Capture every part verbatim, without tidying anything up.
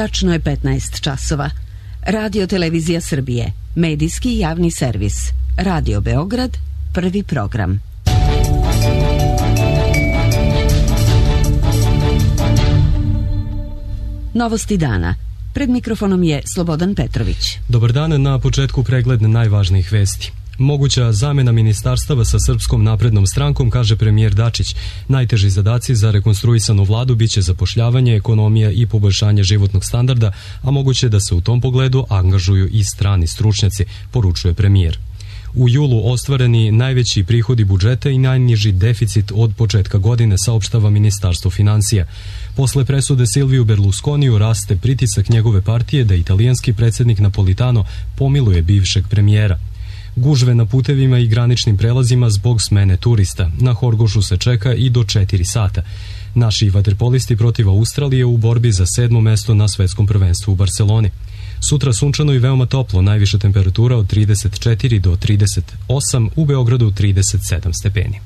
Tačno je petnaest časova. Radio Televizija Srbije, medijski javni servis. Radio Beograd, prvi program. Novosti dana. Pred mikrofonom je Slobodan Petrović. Dobar dan, na početku pregled najvažnijih vesti. Moguća zamena ministarstava sa Srpskom naprednom strankom, kaže premijer Dačić. Najteži zadaci za rekonstruisanu vladu biće zapošljavanje, ekonomija i poboljšanje životnog standarda, a moguće da se u tom pogledu angažuju i strani stručnjaci, poručuje premijer. U julu ostvareni najveći prihodi budžeta i najniži deficit od početka godine, saopštava Ministarstvo financija. Posle presude Silviju Berlusconiju raste pritisak njegove partije da italijanski predsjednik Napolitano pomiluje bivšeg premijera. Gužve na putevima i graničnim prelazima zbog smene turista. Na Horgošu se čeka i do četiri sata. Naši vaterpolisti protiv Australije u borbi za sedmo mesto na svetskom prvenstvu u Barceloni. Sutra sunčano i veoma toplo, najviša temperatura od trideset četiri do trideset osam, u Beogradu trideset sedam stepeni.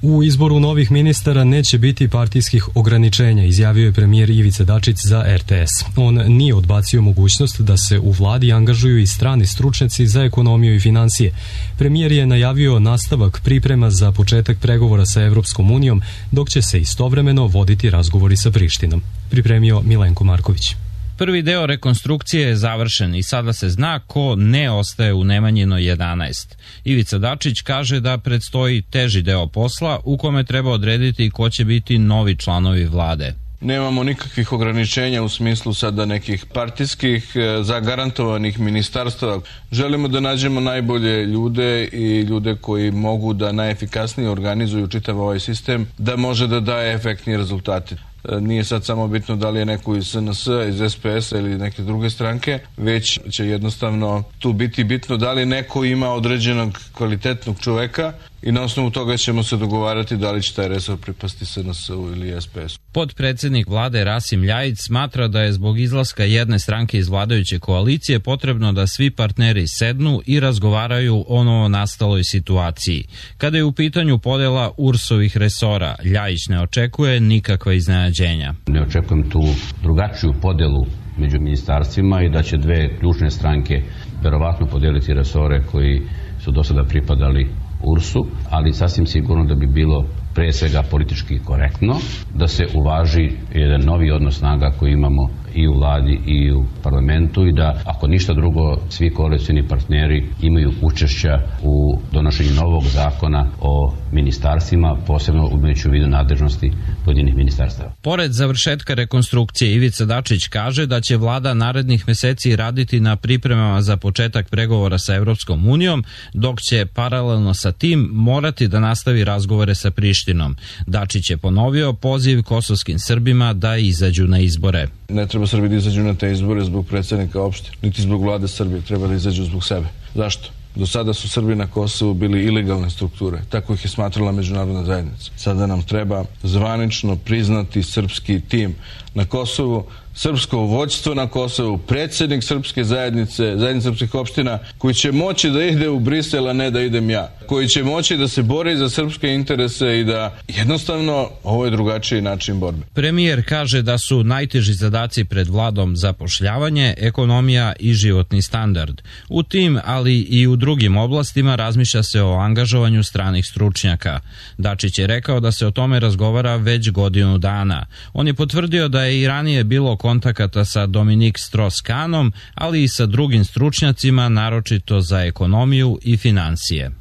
U izboru novih ministara neće biti partijskih ograničenja, izjavio je premijer Ivica Dačić za er te es. On nije odbacio mogućnost da se u vladi angažuju i strani stručnjaci za ekonomiju i financije. Premijer je najavio nastavak priprema za početak pregovora sa Evropskom unijom, dok će se istovremeno voditi razgovori sa Prištinom. Pripremio Milenko Marković. Prvi deo rekonstrukcije je završen i sada se zna ko ne ostaje u Nemanjinoj jedanaest. Ivica Dačić kaže da predstoji teži deo posla u kome treba odrediti ko će biti novi članovi vlade. Nemamo nikakvih ograničenja u smislu sada nekih partijskih zagarantovanih ministarstava. Želimo da nađemo najbolje ljude i ljude koji mogu da najefikasnije organizuju čitav ovaj sistem, da može da daje efektnije rezultate. Nije sad samo bitno da li je neko iz es en es, iz es pe es ili neke druge stranke, već će jednostavno tu biti bitno da li neko ima određenog kvalitetnog čoveka i na osnovu toga ćemo se dogovarati da li će taj resor pripasti es en es-u ili es pe es-u. Podpredsednik vlade Rasim Ljajić smatra da je zbog izlaska jedne stranke iz vladajuće koalicije potrebno da svi partneri sednu i razgovaraju o novonastaloj situaciji. Kada je u pitanju podela U R S-ovih resora, Ljajić ne očekuje nikakva iznenađenja. Ne očekujem tu drugačiju podelu među ministarstvima i da će dve ključne stranke verovatno podeliti resore koji su do sada pripadali U R S-u, ali sasvim sigurno da bi bilo pre svega politički korektno da se uvaži jedan novi odnos snaga koji imamo i u vladi i u parlamentu i da, ako ništa drugo, svi koalicioni partneri imaju učešća u donošenju novog zakona o ministarstvima, posebno imajući u vidu nadležnosti pojedinih ministarstava. Pored završetka rekonstrukcije, Ivica Dačić kaže da će vlada narednih meseci raditi na pripremama za početak pregovora sa Evropskom unijom, dok će paralelno sa tim morati da nastavi razgovore sa Prištinom. Dačić je ponovio poziv kosovskim Srbima da izađu na izbore. Ne treba Srbi da izađu na te izbore zbog predsjednika opštine, niti zbog vlade Srbije, treba da izađu zbog sebe. Zašto? Do sada su Srbi na Kosovu bili ilegalne strukture, tako ih je smatrala međunarodna zajednica. Sada nam treba zvanično priznati srpski tim na Kosovu, srpsko vođstvo na Kosovu, predsjednik srpske zajednice, zajednice srpskih opština, koji će moći da ide u Brisel, a ne da idem ja, koji će moći da se bori za srpske interese i da jednostavno ovo je drugačiji način borbe. Premijer kaže da su najteži zadaci pred vladom zapošljavanje, ekonomija i životni standard. U tim, ali i u drugim oblastima razmišlja se o angažovanju stranih stručnjaka. Dačić je rekao da se o tome razgovara već godinu dana. On je potvrdio da je i ranije bilo kontakata sa Dominik Strauss-Kahnom, ali i sa drugim stručnjacima, naročito za ekonomiju i financije.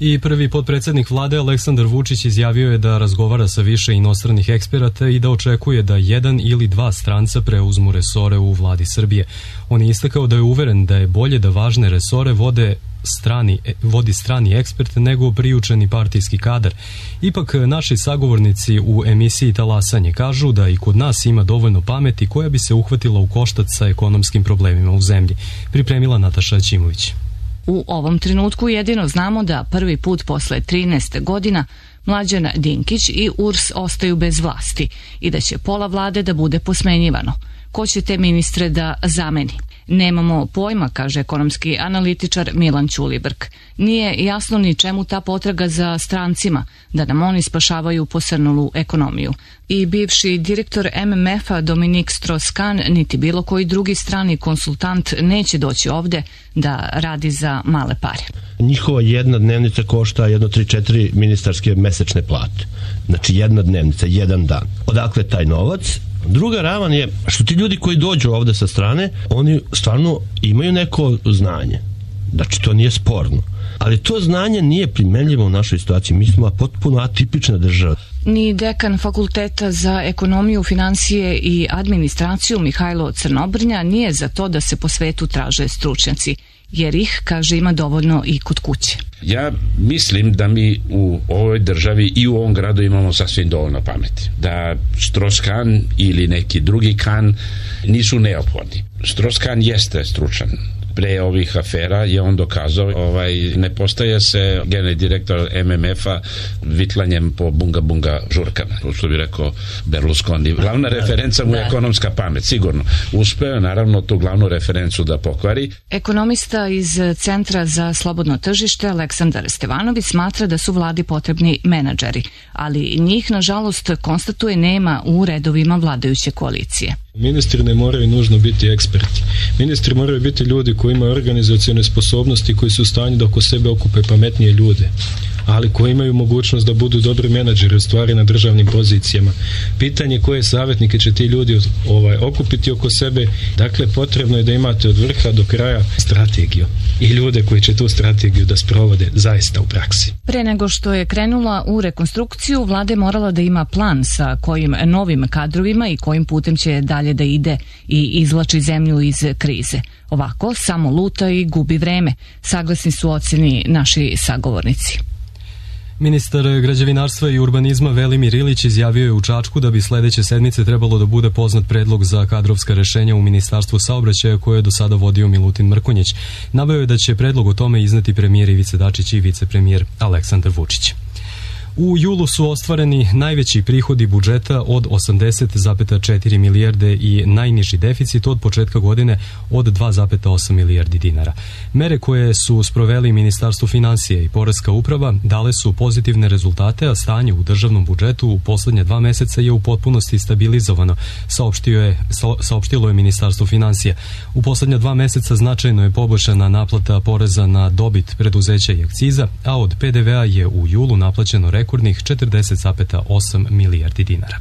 I prvi potpredsjednik vlade Aleksandar Vučić izjavio je da razgovara sa više inostranih eksperata i da očekuje da jedan ili dva stranca preuzmu resore u vladi Srbije. On je istakao da je uveren da je bolje da važne resore vode strani, vodi strani ekspert nego priučeni partijski kadar. Ipak naši sagovornici u emisiji Talasanje kažu da i kod nas ima dovoljno pameti koja bi se uhvatila u koštac sa ekonomskim problemima u zemlji. Pripremila Nataša Ćimović. U ovom trenutku jedino znamo da prvi put posle trinaest godina Mlađan Dinkić i U R S ostaju bez vlasti i da će pola vlade da bude posmenjivano. Ko će te ministre da zameni? Nemamo pojma, kaže ekonomski analitičar Milan Ćulibrk. Nije jasno ni čemu ta potraga za strancima, da nam oni spašavaju posrnulu ekonomiju. I bivši direktor M M F-a Dominik Strauss-Kahn niti bilo koji drugi strani konsultant neće doći ovde da radi za male pare. Njihova jedna dnevnica košta jedno tri četiri ministarske mesečne plate. Znači jedna dnevnica, jedan dan. Odakle taj novac? Druga ravan je što ti ljudi koji dođu ovde sa strane, oni stvarno imaju neko znanje. Znači to nije sporno. Ali to znanje nije primenljivo u našoj situaciji. Mi smo potpuno atipična država. Ni dekan Fakulteta za ekonomiju, finansije i administraciju Mihajlo Crnobrnja nije za to da se po svetu traže stručnjaci, jer ih, kaže, ima dovoljno i kod kuće. Ja mislim da mi u ovoj državi i u ovom gradu imamo sasvim dovoljno pameti. Da Strauss-Kahn ili neki drugi Kahn nisu neophodni. Strauss-Kahn jeste stručan. Pre ovih afera je on dokazao, ovaj, ne postaje se generalni direktor M M F-a vitlanjem po bunga bunga žurkama, što bi rekao Berlusconi. Glavna referenca mu je ekonomska pamet, sigurno. Uspeo je naravno tu glavnu referencu da pokvari. Ekonomista iz Centra za slobodno tržište Aleksandar Stevanović smatra da su vladi potrebni menadžeri, ali njih, nažalost, konstatuje nema u redovima vladajuće koalicije. Ministri ne moraju nužno biti eksperti. Ministri moraju biti ljudi koji imaju organizacione sposobnosti, koji su u stanju da oko sebe okupe pametnije ljude, ali koji imaju mogućnost da budu dobri menadžeri u stvari na državnim pozicijama. Pitanje koje savjetnike će ti ljudi ovaj, okupiti oko sebe, dakle potrebno je da imate od vrha do kraja strategiju i ljude koji će tu strategiju da sprovode zaista u praksi. Pre nego što je krenula u rekonstrukciju, vlada je morala da ima plan sa kojim novim kadrovima i kojim putem će dalje da ide i izvlači zemlju iz krize. Ovako samo luta i gubi vreme, saglasni su oceni naši sagovornici. Ministar građevinarstva i urbanizma Velimir Ilić izjavio je u Čačku da bi sledeće sedmice trebalo da bude poznat predlog za kadrovska rešenja u Ministarstvu saobraćaja koje je do sada vodio Milutin Mrkonjić. Naveo je da će predlog o tome izneti premijer Ivica Dačić i vicepremijer Aleksandar Vučić. U julu su ostvareni najveći prihodi budžeta od osamdeset zarez četiri milijarde i najniži deficit od početka godine od dva zarez osam milijardi dinara. Mere koje su sproveli Ministarstvo finansija i Poreska uprava dale su pozitivne rezultate, a stanje u državnom budžetu u poslednje dva meseca je u potpunosti stabilizovano, saopštio je, saopštilo je Ministarstvo finansija. U poslednja dva meseca značajno je poboljšana naplata poreza na dobit preduzeća i akciza, a od P D V-a je u julu naplaćeno rekordnih četrdeset zarez osam milijardi dinara.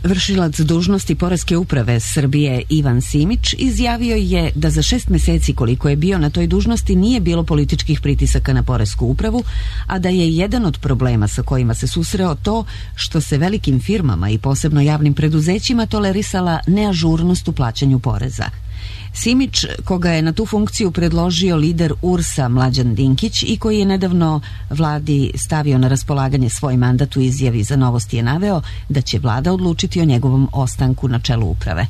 Vršilac dužnosti Poreske uprave Srbije Ivan Simić izjavio je da za šest meseci koliko je bio na toj dužnosti nije bilo političkih pritisaka na Poresku upravu, a da je jedan od problema sa kojima se susreo to što se velikim firmama i posebno javnim preduzećima tolerisala neažurnost u plaćanju poreza. Simić, koga je na tu funkciju predložio lider U R S-a Mlađan Dinkić i koji je nedavno vladi stavio na raspolaganje svoj mandat, u izjavi za Novosti je naveo da će vlada odlučiti o njegovom ostanku na čelu uprave.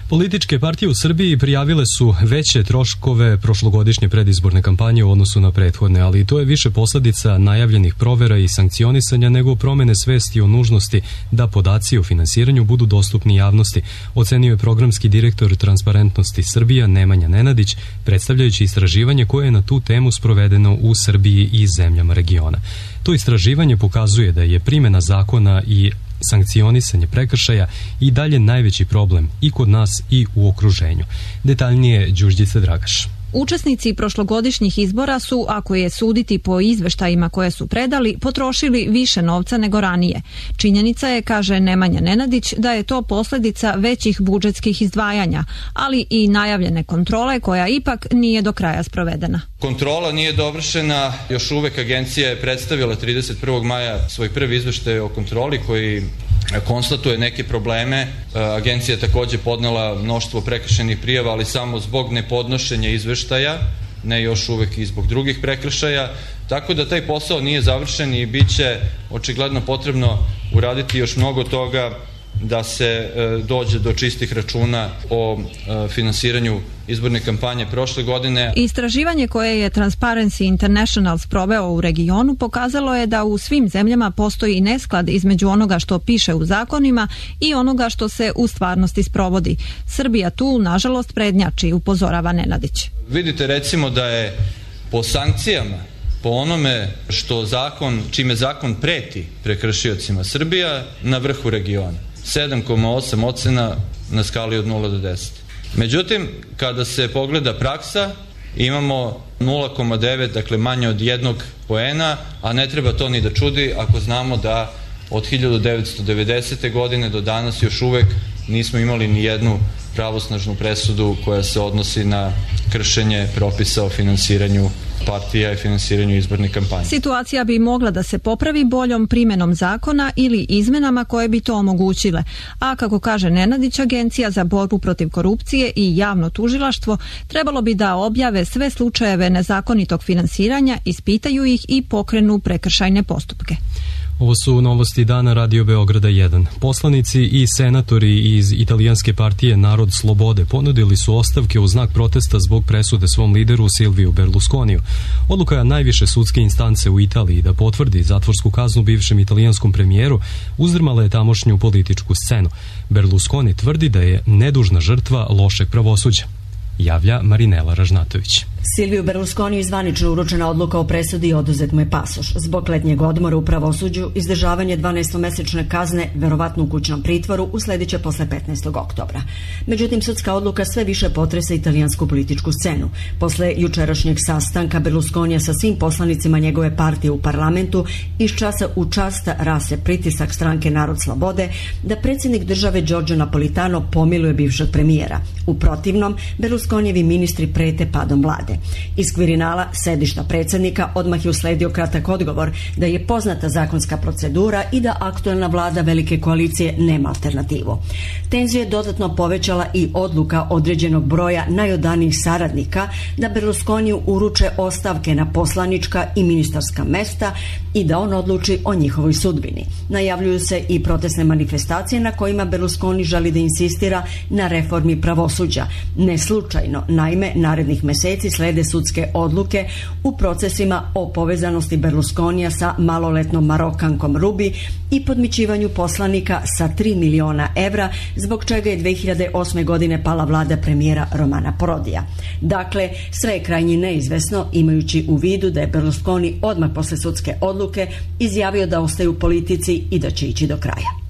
Političke partije u Srbiji prijavile su veće troškove prošlogodišnje predizborne kampanje u odnosu na prethodne, ali to je više posledica najavljenih provera i sankcionisanja nego promene svesti o nužnosti da podaci o finansiranju budu dostupni javnosti, ocenio je programski direktor Transparentnosti Srbija Nemanja Nenadić, predstavljajući istraživanje koje je na tu temu sprovedeno u Srbiji i zemljama regiona. To istraživanje pokazuje da je primjena zakona i sankcionisanje prekršaja i dalje najveći problem i kod nas i u okruženju. Detaljnije Đurđica Dragaš. Učesnici prošlogodišnjih izbora su, ako je suditi po izveštajima koje su predali, potrošili više novca nego ranije. Činjenica je, kaže Nemanja Nenadić, da je to posledica većih budžetskih izdvajanja, ali i najavljene kontrole koja ipak nije do kraja sprovedena. Kontrola nije dovršena, još uvek agencija je predstavila trideset prvog maja svoj prvi izveštaj o kontroli koji konstatuje neke probleme. Agencija je takođe podnela mnoštvo prekršajnih prijava, ali samo zbog nepodnošenja izveštaja, ne još uvek i zbog drugih prekršaja, tako da taj posao nije završen i bit će očigledno potrebno uraditi još mnogo toga da se dođe do čistih računa o finansiranju izborne kampanje prošle godine. Istraživanje koje je Transparency International sproveo u regionu pokazalo je da u svim zemljama postoji nesklad između onoga što piše u zakonima i onoga što se u stvarnosti sprovodi. Srbija tu, nažalost, prednjači, upozorava Nenadić. Vidite recimo da je po sankcijama, po onome što zakon, čime zakon preti prekršiocima, Srbija na vrhu regiona. sedam zarez osam ocena na skali od nula do deset. Međutim, kada se pogleda praksa, imamo nula zarez devet, dakle manje od jednog poena, a ne treba to ni da čudi ako znamo da od hiljadu devetsto devedesete. godine do danas još uvek nismo imali ni jednu pravosnažnu presudu koja se odnosi na kršenje propisa o finansiranju partija i finansiranju izborne kampanje. Situacija bi mogla da se popravi boljom primenom zakona ili izmenama koje bi to omogućile. A kako kaže Nenadić, Agencija za borbu protiv korupcije i javno tužilaštvo trebalo bi da objave sve slučajeve nezakonitog finansiranja, ispitaju ih i pokrenu prekršajne postupke. Ovo su novosti dana Radio Beograda jedan. Poslanici i senatori iz italijanske partije Narod slobode ponudili su ostavke u znak protesta zbog presude svom lideru Silviju Berlusconiju. Odluka najviše sudske instance u Italiji da potvrdi zatvorsku kaznu bivšem italijanskom premijeru uzdrmala je tamošnju političku scenu. Berlusconi tvrdi da je nedužna žrtva lošeg pravosuđa. Javlja Marinela Ražnatović. Silviju Berlusconiju zvanično uručena odluka o presudi i oduzet mu je pasoš. Zbog letnjeg odmora u pravosuđu, izdržavanje dvanaestomesečne kazne, verovatno u kućnom pritvoru, uslediće posle petnaestog oktobra. Međutim, sudska odluka sve više potresa italijansku političku scenu. Posle jučerašnjeg sastanka Berlusconija sa svim poslanicima njegove partije u parlamentu, iz časa u čas rase pritisak stranke Narod slobode da predsjednik države Giorgio Napolitano pomiluje bivšeg premijera. U protivnom, Berlusconijevi ministri prete padom vlade. Iz Kvirinala, sedišta predsjednika, odmah je usledio kratak odgovor da je poznata zakonska procedura i da aktuelna vlada velike koalicije nema alternativu. Tenziju je dodatno povećala i odluka određenog broja najodanijih saradnika da Berlusconiju uruče ostavke na poslanička i ministarska mesta i da on odluči o njihovoj sudbini. Najavljuju se i protestne manifestacije na kojima Berlusconi želi da insistira na reformi pravosuđa. Ne slučajno, naime, narednih meseci slede sudske odluke u procesima o povezanosti Berlusconija sa maloletnom Marokankom Rubi i podmićivanju poslanika sa tri miliona evra, zbog čega je dve hiljade osme. godine pala vlada premijera Romana Prodija. Dakle, sve je krajnje neizvesno, imajući u vidu da je Berlusconi odmah posle sudske odluke izjavio da ostaje u politici i da će ići do kraja.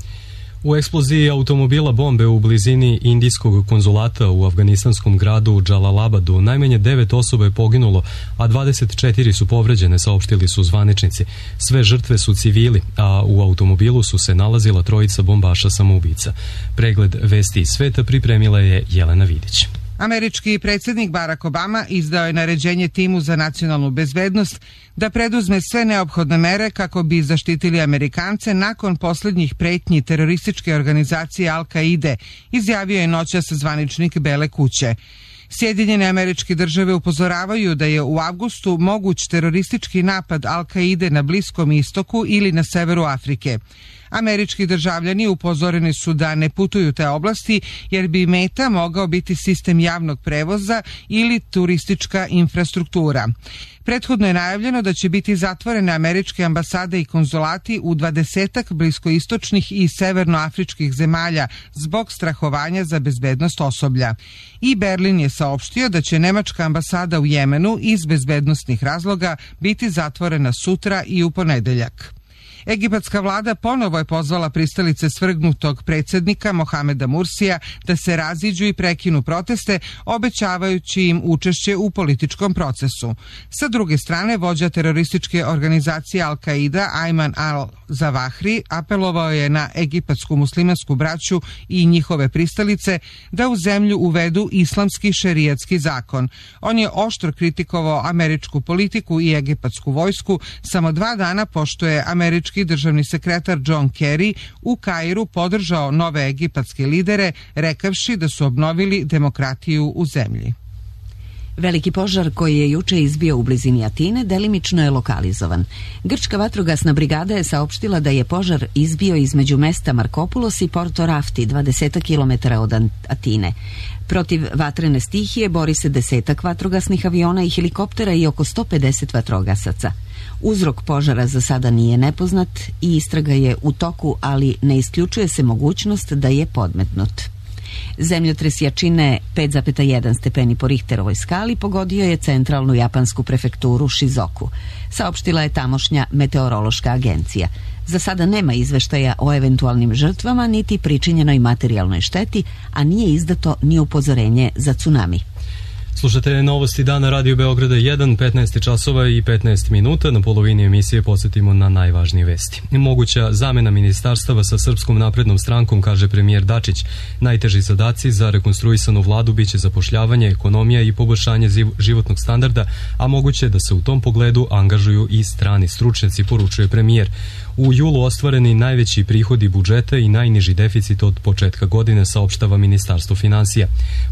U eksploziji automobila bombe u blizini indijskog konzulata u afganistanskom gradu Džalalabadu najmanje devet osoba je poginulo, a dvadeset četiri su povređene, saopštili su zvaničnici. Sve žrtve su civili, a u automobilu su se nalazila trojica bombaša samoubica. Pregled vesti iz sveta pripremila je Jelena Vidić. Američki predsjednik Barack Obama izdao je naređenje timu za nacionalnu bezbednost da preduzme sve neophodne mere kako bi zaštitili Amerikance nakon posljednjih pretnji terorističke organizacije Al-Kaide, izjavio je noćas zvaničnik Bele kuće. Sjedinjene Američke Države upozoravaju da je u avgustu moguć teroristički napad Al-Kaide na Bliskom istoku ili na severu Afrike. Američki državljani upozoreni su da ne putuju te oblasti jer bi meta mogao biti sistem javnog prevoza ili turistička infrastruktura. Prethodno je najavljeno da će biti zatvorene američke ambasade i konzulati u dvadesetak bliskoistočnih i severnoafričkih zemalja zbog strahovanja za bezbednost osoblja. I Berlin je saopštio da će nemačka ambasada u Jemenu iz bezbednostnih razloga biti zatvorena sutra i u ponedeljak. Egipatska vlada ponovo je pozvala pristalice svrgnutog predsjednika Mohameda Mursija da se raziđu i prekinu proteste, obećavajući im učešće u političkom procesu. Sa druge strane, vođa terorističke organizacije Al-Qaida Ayman al-Zawahri apelovao je na egipatsku muslimansku braću i njihove pristalice da u zemlju uvedu islamski šerijatski zakon. On je oštro kritikovao američku politiku i egipatsku vojsku samo dva dana pošto je američki državni sekretar John Kerry u Kairu podržao nove egipatske lidere, rekavši da su obnovili demokratiju u zemlji. Veliki požar koji je juče izbio u blizini Atine delimično je lokalizovan. Grčka vatrogasna brigada je saopštila da je požar izbio između mesta Markopulos i Porto Rafti, dvadeset kilometara od Atine. Protiv vatrene stihije bori se desetak vatrogasnih aviona i helikoptera i oko sto pedeset vatrogasaca. Uzrok požara za sada nije nepoznat i istraga je u toku, ali ne isključuje se mogućnost da je podmetnut. Zemljotres jačine pet zarez jedan stepeni po Richterovoj skali pogodio je centralnu japansku prefekturu Shizuoku, saopštila je tamošnja meteorološka agencija. Za sada nema izveštaja o eventualnim žrtvama niti pričinjenoj materijalnoj šteti, a nije izdato ni upozorenje za tsunami. Slušate Novosti dana Radio Beograda jedan, petnaest časova i petnaest minuta. Na polovini emisije podsjetimo na najvažnije vesti. Moguća zamena ministarstava sa Srpskom naprednom strankom, kaže premijer Dačić. Najteži zadaci za rekonstruisanu vladu biće zapošljavanje, ekonomija i poboljšanje životnog standarda, a moguće da se u tom pogledu angažuju i strani stručnjaci, poručuje premijer. U julu ostvareni najveći prihodi budžeta i najniži deficit od početka godine, saopštava Ministarstvo finansija.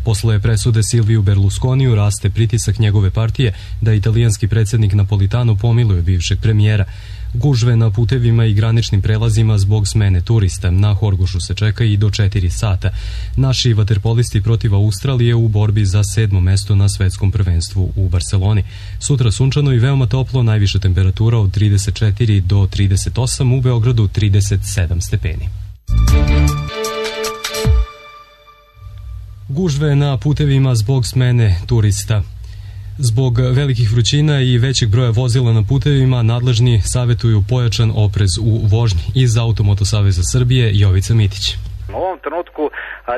Posle presude Silviju Berlusconiju raste pritisak njegove partije da italijanski predsjednik Napolitano pomiluje bivšeg premijera. Gužve na putevima i graničnim prelazima zbog smene turista. Na Horgošu se čeka i do četiri sata. Naši vaterpolisti protiv Australije u borbi za sedmo mesto na svetskom prvenstvu u Barceloni. Sutra sunčano i veoma toplo, najviša temperatura od trideset četiri do trideset osam, u Beogradu trideset sedam stepeni. Gužve na putevima zbog smene turista. Zbog velikih vrućina i većeg broja vozila na putevima, nadležni savjetuju pojačan oprez u vožnji. Iz Automoto Saveza Srbije, Jovica Mitić. U ovom trenutku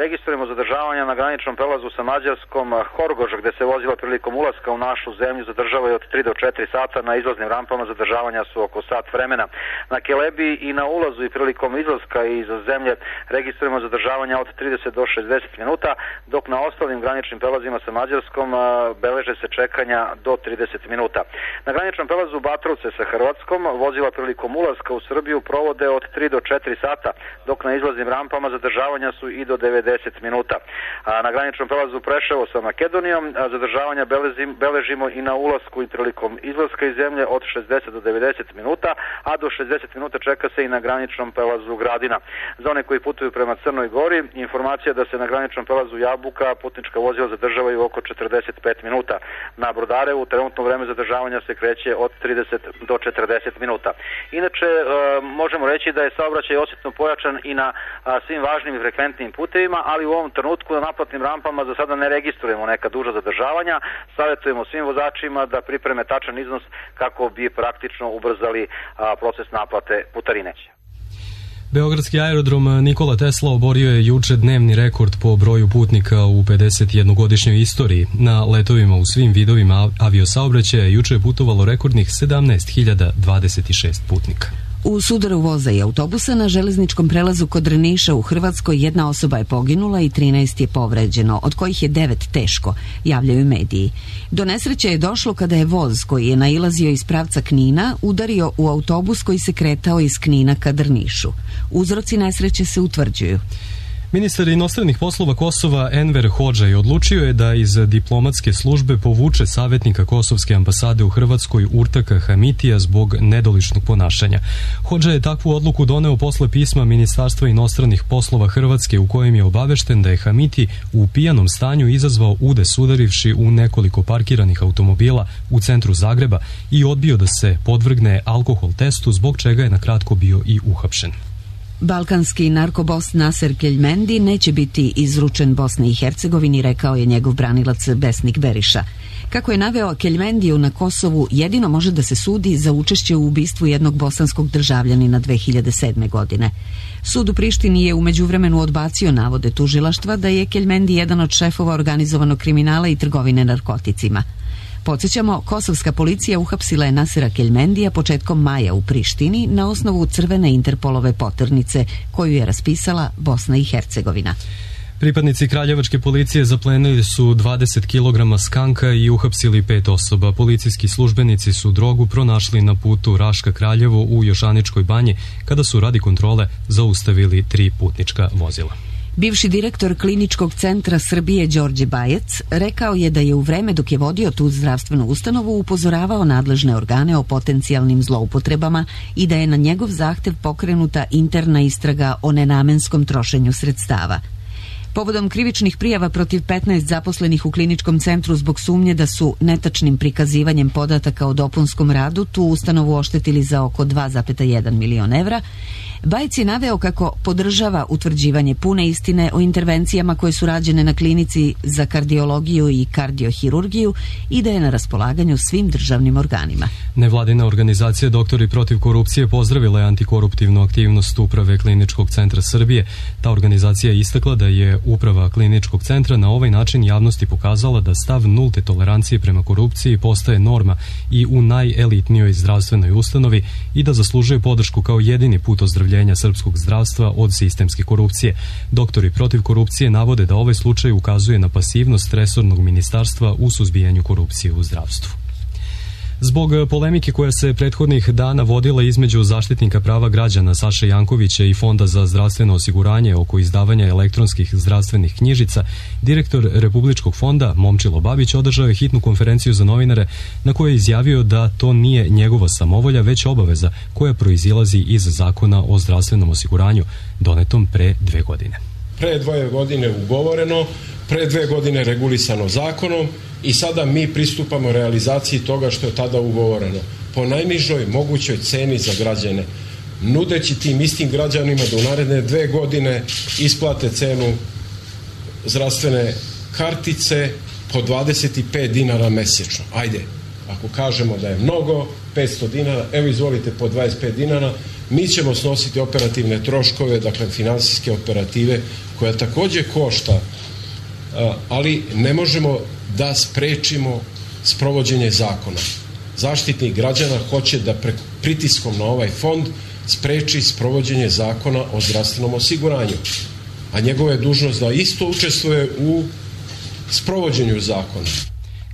registrujemo zadržavanja na graničnom prelazu sa Mađarskom Horgoš, gde se vozila prilikom ulaska u našu zemlju zadržavaju od tri do četiri sata, na izlaznim rampama zadržavanja su oko sat vremena. Na Kelebi i na ulazu i prilikom izlaska iz zemlje registrujemo zadržavanja od trideset do šezdeset minuta, dok na ostalim graničnim prelazima sa Mađarskom beleže se čekanja do trideset minuta. Na graničnom prelazu Batrovce sa Hrvatskom vozila prilikom ulaska u Srbiju provode od tri do četiri sata, dok na izlaznim rampama zadržavanja su i do devedeset minuta. A na graničnom prelazu Preševo sa Makedonijom zadržavanja belezim, beležimo i na ulasku i prilikom izlaska iz zemlje od šezdeset do devedeset minuta, a do šezdeset minuta čeka se i na graničnom prelazu Gradina. Za one koji putuju prema Crnoj Gori, informacija da se na graničnom prelazu Jabuka putnička vozila zadržavaju oko četrdeset pet minuta. Na Brodarevu trenutno vreme zadržavanja se kreće od trideset do četrdeset minuta. Inače, e, možemo reći da je saobraćaj osjetno pojačan i na a, svim važnim i frekventnim putevima, ali u ovom trenutku na naplatnim rampama za sada ne registrujemo neka duža zadržavanja. Savjetujemo svim vozačima da pripreme tačan iznos kako bi praktično ubrzali a, proces naplate putarine. Beogradski aerodrom Nikola Tesla oborio je juče dnevni rekord po broju putnika u pedesetjednogodišnjoj istoriji. Na letovima u svim vidovima aviosaobraćaja juče je putovalo rekordnih sedamnaest hiljada dvadeset šest putnika. U sudaru voza i autobusa na železničkom prelazu kod Drniša u Hrvatskoj jedna osoba je poginula i trinaest je povređeno, od kojih je devet teško, javljaju mediji. Do nesreće je došlo kada je voz koji je nailazio iz pravca Knina udario u autobus koji se kretao iz Knina ka Drnišu. Uzroci nesreće se utvrđuju. Ministar inostranih poslova Kosova Enver Hodžaj odlučio je da iz diplomatske službe povuče savjetnika Kosovske ambasade u Hrvatskoj Urtaka Hamitija zbog nedoličnog ponašanja. Hodžaj je takvu odluku doneo posle pisma Ministarstva inostranih poslova Hrvatske u kojem je obavešten da je Hamiti u pijanom stanju izazvao udes udarivši u nekoliko parkiranih automobila u centru Zagreba i odbio da se podvrgne alkohol testu, zbog čega je na kratko bio i uhapšen. Balkanski narkobos Naser Keljmendi neće biti izručen Bosni i Hercegovini, rekao je njegov branilac Besnik Beriša. Kako je naveo, Keljmendiju na Kosovu jedino može da se sudi za učešće u ubistvu jednog bosanskog državljanina dve hiljade sedme. godine. Sud u Prištini je u međuvremenu odbacio navode tužilaštva da je Keljmendi jedan od šefova organizovanog kriminala i trgovine narkoticima. Podsjećamo, kosovska policija uhapsila je Nasera Keljmendija početkom maja u Prištini na osnovu crvene Interpolove poternice koju je raspisala Bosna i Hercegovina. Pripadnici kraljevačke policije zaplenili su dvadeset kilograma skanka i uhapsili pet osoba. Policijski službenici su drogu pronašli na putu Raška Kraljevo u Jošaničkoj banji kada su radi kontrole zaustavili tri putnička vozila. Bivši direktor Kliničkog centra Srbije Đorđe Bajec rekao je da je u vreme dok je vodio tu zdravstvenu ustanovu upozoravao nadležne organe o potencijalnim zloupotrebama i da je na njegov zahtev pokrenuta interna istraga o nenamenskom trošenju sredstava. Povodom krivičnih prijava protiv petnaest zaposlenih u kliničkom centru zbog sumnje da su netačnim prikazivanjem podataka o dopunskom radu tu ustanovu oštetili za oko dva zarez jedan milion evra, Bajec je naveo kako podržava utvrđivanje pune istine o intervencijama koje su rađene na klinici za kardiologiju i kardiohirurgiju i da je na raspolaganju svim državnim organima. Nevladina organizacija Doktori protiv korupcije pozdravila je antikoruptivnu aktivnost Uprave Kliničkog centra Srbije. Ta organizacija je istakla da je Uprava Kliničkog centra na ovaj način javnosti pokazala da stav nulte tolerancije prema korupciji postaje norma i u najelitnijoj zdravstvenoj ustanovi i da zaslužuje podršku kao jedini put ozdravljenja srpskog zdravstva od sistemske korupcije. Doktori protiv korupcije navode da ovaj slučaj ukazuje na pasivnost resornog ministarstva u suzbijanju korupcije u zdravstvu. Zbog polemike koja se prethodnih dana vodila između zaštitnika prava građana Saše Jankovića i Fonda za zdravstveno osiguranje oko izdavanja elektronskih zdravstvenih knjižica, direktor Republičkog fonda Momčilo Babić održao je hitnu konferenciju za novinare na kojoj je izjavio da to nije njegova samovolja, već obaveza koja proizilazi iz Zakona o zdravstvenom osiguranju donetom pre dve godine. Pre dvoje godine ugovoreno, pre dve godine regulisano zakonom i sada mi pristupamo realizaciji toga što je tada ugovoreno po najnižoj mogućoj ceni za građane, nudeći tim istim građanima da u naredne dve godine isplate cenu zdravstvene kartice po dvadeset pet dinara mesečno. Ajde, ako kažemo da je mnogo, petsto dinara, evo izvolite po dvadeset pet dinara, mi ćemo snositi operativne troškove, dakle finansijske operative, koja takođe košta, ali ne možemo da sprečimo sprovođenje zakona. Zaštitnik građana hoće da pritiskom na ovaj fond spreči sprovođenje zakona o zdravstvenom osiguranju, a njegova je dužnost da isto učestvuje u sprovođenju zakona,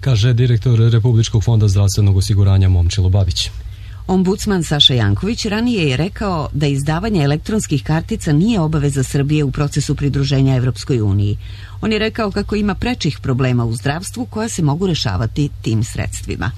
kaže direktor Republičkog fonda zdravstvenog osiguranja Momčilo Babić. Ombudsman Saša Janković ranije je rekao da izdavanje elektronskih kartica nije obaveza Srbije u procesu pridruženja Evropskoj uniji. On je rekao kako ima prečih problema u zdravstvu koja se mogu rešavati tim sredstvima.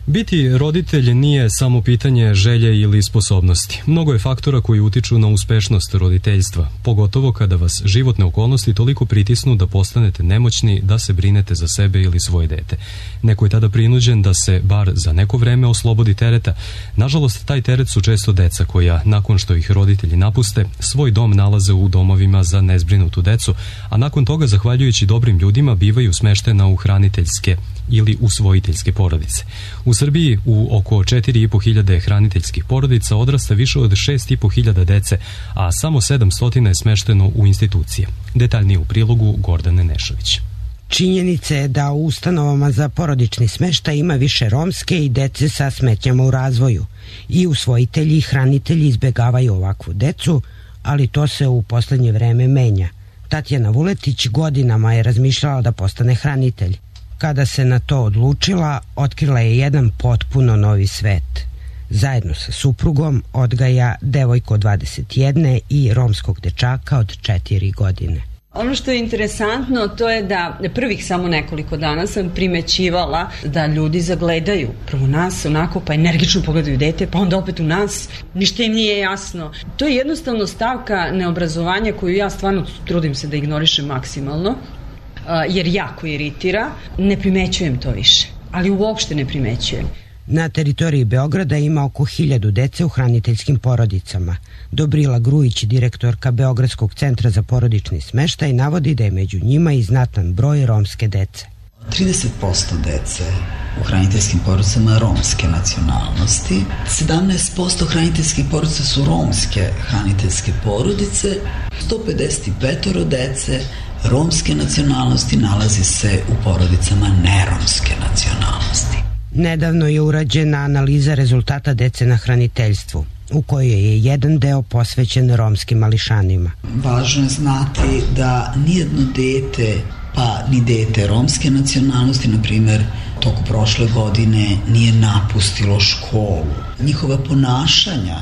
Biti roditelj nije samo pitanje želje ili sposobnosti. Mnogo je faktora koji utiču na uspešnost roditeljstva, pogotovo kada vas životne okolnosti toliko pritisnu da postanete nemoćni da se brinete za sebe ili svoje dete. Neko je tada prinuđen da se bar za neko vreme oslobodi tereta. Nažalost, taj teret su često deca koja, nakon što ih roditelji napuste, svoj dom nalaze u domovima za nezbrinutu decu, a nakon toga, zahvaljujući dobrim ljudima, bivaju smeštena u hraniteljske ili usvojiteljske porodice. U Srbiji u oko četiri i po hiljade hraniteljskih porodica odrasta više od šest i po hiljada dece, a samo sedamsto je smešteno u institucije. Detaljnije u prilogu Gordane Nešović. Činjenica je da u ustanovama za porodični smeštaj ima više romske i dece sa smetnjama u razvoju. I usvojitelji i hranitelji izbegavaju ovakvu decu, ali to se u poslednje vreme menja. Tatjana Vuletić godinama je razmišljala da postane hranitelj. Kada se na to odlučila, otkrila je jedan potpuno novi svet. Zajedno sa suprugom odgaja devojku od dvadeset jedne i romskog dečaka od četiri godine. Ono što je interesantno to je da prvih samo nekoliko dana sam primećivala da ljudi zagledaju prvo nas onako pa energično pogledaju dete pa onda opet u nas, ništa im nije jasno. To je jednostavno stavka neobrazovanja koju ja stvarno trudim se da ignorišem maksimalno jer jako iritira. Ne primećujem to više, ali uopšte ne primećujem. Na teritoriji Beograda ima oko hiljadu dece u hraniteljskim porodicama. Dobrila Grujić, direktorka Beogradskog centra za porodični smeštaj, navodi da je među njima i znatan broj romske dece. trideset posto dece u hraniteljskim porodicama romske nacionalnosti, sedamnaest posto hraniteljskih porodica su romske hraniteljske porodice, sto pedeset pet dece romske nacionalnosti nalazi se u porodicama neromske nacionalnosti. Nedavno je urađena analiza rezultata dece na hraniteljstvu, u kojoj je jedan deo posvećen romskim mališanima. Važno je znati da nijedno dete pa ni dete romske nacionalnosti, na primjer, toku prošle godine nije napustilo školu. Njihova ponašanja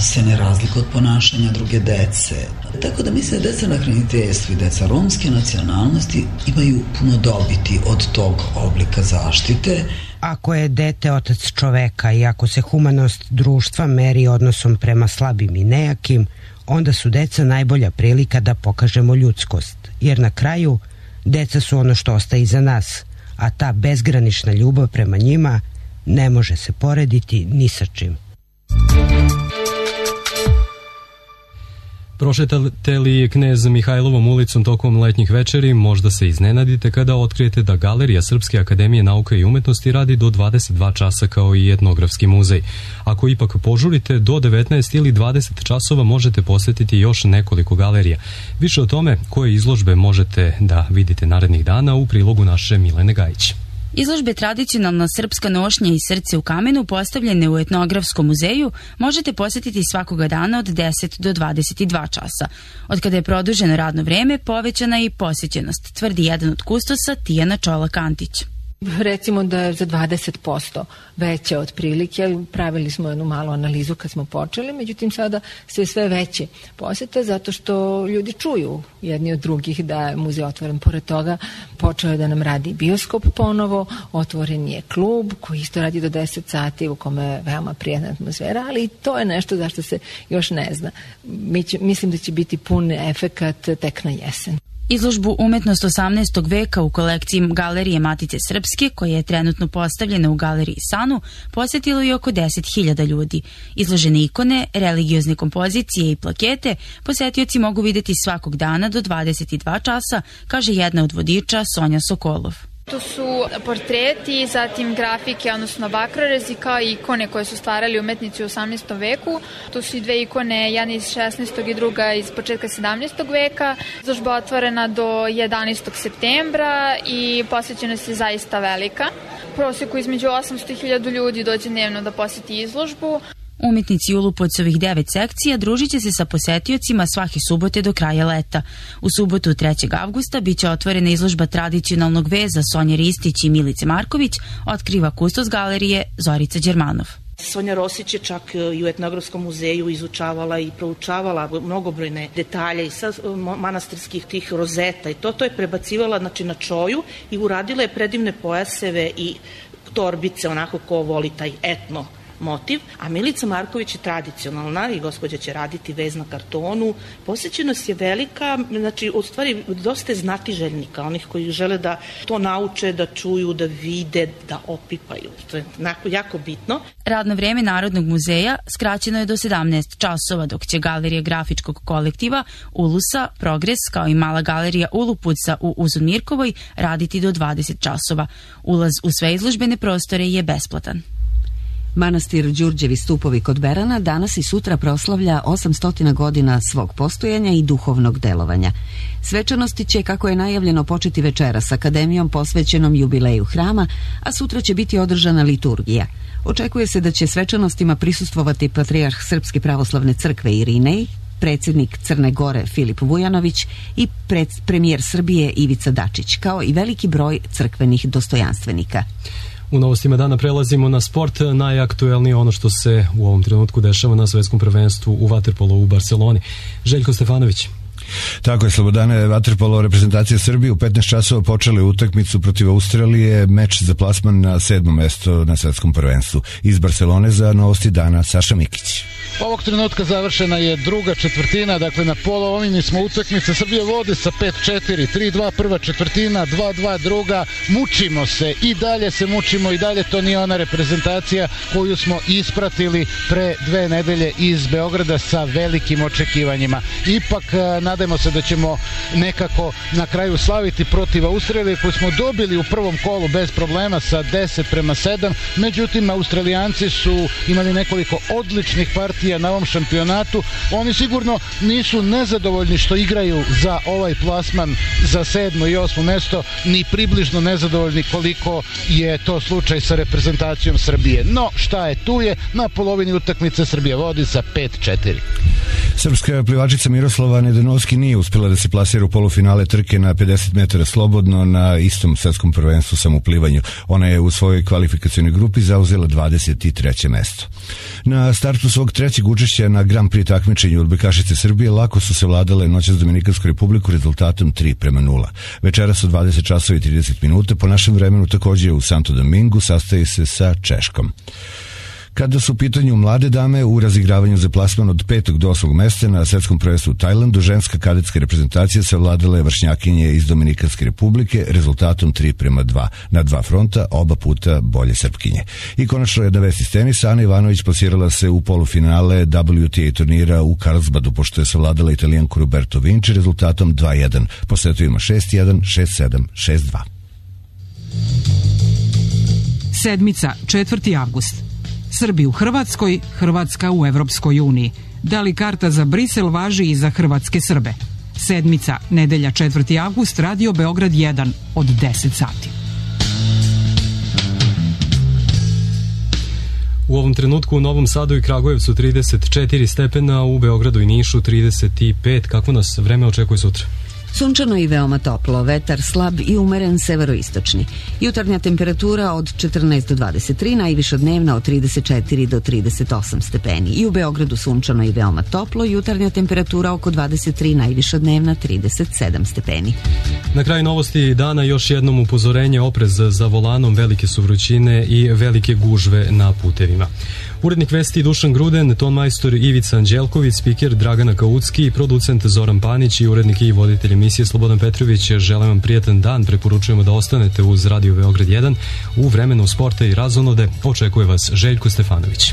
se ne razlika od ponašanja druge dece. Tako da mislim da deca na hraniteljstvu i deca romske nacionalnosti imaju puno dobiti od tog oblika zaštite. Ako je dete otac čoveka i ako se humanost društva meri odnosom prema slabim i nejakim, onda su deca najbolja prilika da pokažemo ljudskost, jer na kraju deca su ono što ostaje iza nas, a ta bezgranična ljubav prema njima ne može se porediti ni sa čim. Prošetate li Knez Mihajlovom ulicom tokom letnjih večeri, možda se iznenadite kada otkrijete da Galerija Srpske akademije nauka i umetnosti radi do dvadeset dva časa kao i etnografski muzej. Ako ipak požurite, do devetnaest ili dvadeset časova možete posjetiti još nekoliko galerija. Više o tome koje izložbe možete da vidite narednih dana u prilogu naše Milene Gajić. Izložbe Tradicionalna srpska nošnja i srce u kamenu postavljene u etnografskom muzeju možete posjetiti svakoga dana od deset do dvadeset dva časa. Od kada je produženo radno vreme, povećana je i posjećenost, tvrdi jedan od kustosa Tijana Čolak-Antić. Recimo da je za dvadeset posto veće otprilike, pravili smo jednu malu analizu kad smo počeli, međutim sada sve sve veće posjete zato što ljudi čuju jedni od drugih da je muzej otvoren. Pored toga počeo je da nam radi bioskop ponovo, otvoren je klub koji isto radi do deset sati u kome je veoma prijatna atmosfera, ali i to je nešto zašto se još ne zna. Mi će, mislim da će biti pun efekat tek na jesen. Izložbu Umetnost osamnaestog veka u kolekciji Galerije Matice Srpske, koja je trenutno postavljena u Galeriji Sanu, posjetilo je oko deset hiljada ljudi. Izložene ikone, religiozne kompozicije i plakete posjetioci mogu vidjeti svakog dana do dvadeset dva časa, kaže jedna od vodiča Sonja Sokolov. Tu su portreti, zatim grafike, odnosno bakrorezi, kao i ikone koje su stvarali umetnici u osamnaestom veku. Tu su i dve ikone, jedna iz šesnaestog i druga iz početka sedamnaestog veka. Izložba je otvorena do jedanaestog septembra i posjećenost je zaista velika. U prosjeku između osamsto i hiljadu ljudi dođe dnevno da posjeti izložbu. Umetnici Ulupovcovih devet sekcija družit će se sa posetiocima svake subote do kraja leta. U subotu trećeg avgusta biće otvorena izložba tradicionalnog veza Sonje Ristić i Milice Marković, otkriva kustos galerije Zorica Đermanov. Sonja Rosić je čak i u etnografskom muzeju izučavala i proučavala mnogobrojne detalje i sa manastirskih tih rozeta i to, to je prebacivala znači, na čoju i uradila je predivne pojaseve i torbice, onako ko voli taj etno motiv, a Milica Marković je tradicionalna i gospođa će raditi vez na kartonu. Posjećenost je velika, znači u stvari dosta je znatiželjnika, onih koji žele da to nauče, da čuju, da vide, da opipaju. To je jako bitno. Radno vreme Narodnog muzeja skraćeno je do sedamnaest časova, dok će Galerija grafičkog kolektiva Ulusa, Progres, kao i mala galerija Ulupuca u Uzunmirkovoj raditi do dvadeset časova. Ulaz u sve izložbene prostore je besplatan. Manastir Đurđevi stupovi kod Berana danas i sutra proslavlja osamsto godina svog postojanja i duhovnog delovanja. Svečanosti će, kako je najavljeno, početi večera s akademijom posvećenom jubileju hrama, a sutra će biti održana liturgija. Očekuje se da će svečanostima prisustvovati patrijarh Srpske pravoslavne crkve Irinej, predsjednik Crne Gore Filip Vujanović i pred, premijer Srbije Ivica Dačić, kao i veliki broj crkvenih dostojanstvenika. U novostima dana prelazimo na sport. Najaktuelnije ono što se u ovom trenutku dešava na svetskom prvenstvu u vaterpolu u Barceloni. Željko Stefanović. Tako je, Slobodane, vaterpolo reprezentacija Srbije u petnaest časova počeli utakmicu protiv Australije, meč za plasman na sedmo mesto na svetskom prvenstvu. Iz Barcelone za novosti dana Saša Mikić. Ovog trenutka završena je druga četvrtina, dakle na polovini smo utakmice. Srbija vodi sa pet četiri, tri dva prva četvrtina, dva dva druga. Mučimo se i dalje se mučimo i dalje to nije ona reprezentacija koju smo ispratili pre dve nedelje iz Beograda sa velikim očekivanjima. Ipak nadajmo se da ćemo nekako na kraju slaviti protiv Australije koju smo dobili u prvom kolu bez problema sa deset prema sedam. Međutim, Australijanci su imali nekoliko odličnih partija na ovom šampionatu. Oni sigurno nisu nezadovoljni što igraju za ovaj plasman za sedmo i osmo mesto, ni približno nezadovoljni koliko je to slučaj sa reprezentacijom Srbije. No, šta je tu je, na polovini utakmice Srbija vodi sa pet četiri. Srpska plivačica Miroslava Nedenovski nije uspjela da se plasira u polufinale trke na pedeset metara slobodno na istom svetskom prvenstvu samoplivanju. Ona je u svojoj kvalifikacionoj grupi zauzela dvadeset treće mesto. Na startu svog trećeg učešća na Grand Prix takmičenju odbojkašice Srbije lako su se vladale noćas Dominikansku Republiku rezultatom tri prema nula. Večeras u dvadeset časova i trideset minuta po našem vremenu također u Santo Domingu sastaje se sa Češkom. Kada su u pitanju mlade dame u razigravanju za plasman od petog do osmog mesta na svetskom prvenstvu u Tajlandu, ženska kadetska reprezentacija savladala je vršnjakinje iz Dominikanske Republike rezultatom tri prema dva na dva fronta, oba puta bolje Srpkinje. I konačno jedna vest iz tenisa, Ana Ivanović plasirala se u polufinale W T A turnira u Karlsbadu, pošto je savladala Italijanku Roberto Vinci rezultatom dva jedan. Po setovima šest jedan, šest sedam, šest dva. Sedmica, četvrti avgust. Srbi u Hrvatskoj, Hrvatska u Evropskoj uniji. Da li karta za Brisel važi i za hrvatske Srbe? Sedmica, nedelja četvrti avgust, Radio Beograd jedan od deset sati. U ovom trenutku u Novom Sadu i Kragujevcu trideset četiri stepena, u Beogradu i Nišu trideset pet. Kako nas vreme očekuje sutra? Sunčano i veoma toplo, vetar slab i umeren severoistočni. Jutarnja temperatura od četrnaest do dvadeset tri, najviša dnevna od trideset četiri do trideset osam stepeni. I u Beogradu sunčano i veoma toplo, jutarnja temperatura oko dvadeset tri, najviša dnevna trideset sedam stepeni. Na kraju novosti dana još jednom upozorenje, oprez za volanom, velike su vrućine i velike gužve na putevima. Urednik vesti Dušan Gruden, ton majstor Ivica Anđelković, spiker Dragana Kaucki, producent Zoran Panić i urednik i voditelj emisije Slobodan Petrović. Želim vam prijatan dan, preporučujemo da ostanete uz Radio Beograd jedan. U vremenu sporta i razonode očekuje vas Željko Stefanović.